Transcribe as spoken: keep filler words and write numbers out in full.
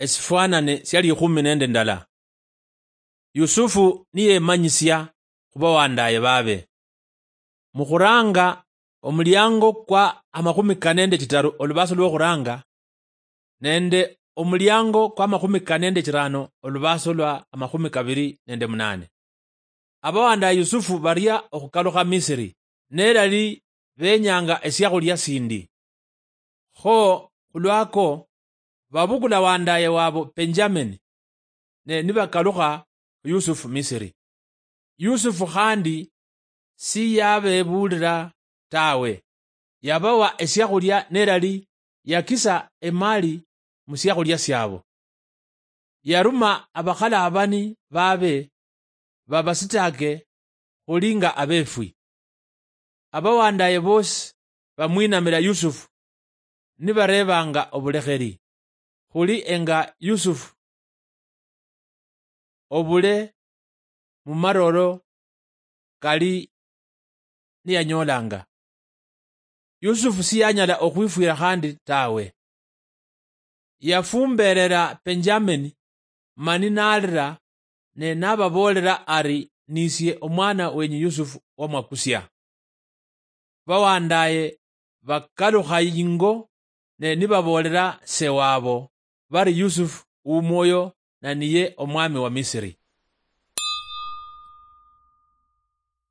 esifwanane sia likhumi nende ndala. Yusufu niyemanyisia khu bawandaye babe. Mukhuranga omuliango kwa amakhumi kane nende chitaru olubaso lwokhuranga, nende omuliango kwa amakhumi kane nende chirano olubaso lwa amakhumi kabiri nende munane. Abawandaye Yusufu baria okhukalukha Misiri, nelali benyanga esiakhulia sindi. Kho khulwako, babukula wandaye wabo Benjamini, ne nibakalukha khu Yusufu Misiri. Yusufu khandi siyabebulira tawe, yabawa esiakhulia nelali yakisa emali musiakhulia siabo. Yaruma abakhalabani babe babasitake khuli nga abefwi. Abawandaye bosi bamwinamira Yusufu nibarebanga obulekheri, khuli enga Yusufu obule mumaroro kali niyanyolanga. Yusufu siyanyala okhwifwira khandi tawe. Yafumberera Benjamini mani nalira ne nababoolera ari, "Nisie omwana wenyu Yusufu wamwakusia." Bawandaye bakalukha ingo ne nibaboolera se wabo bari Yusufu umwoyo na niye omwami wa Misiri.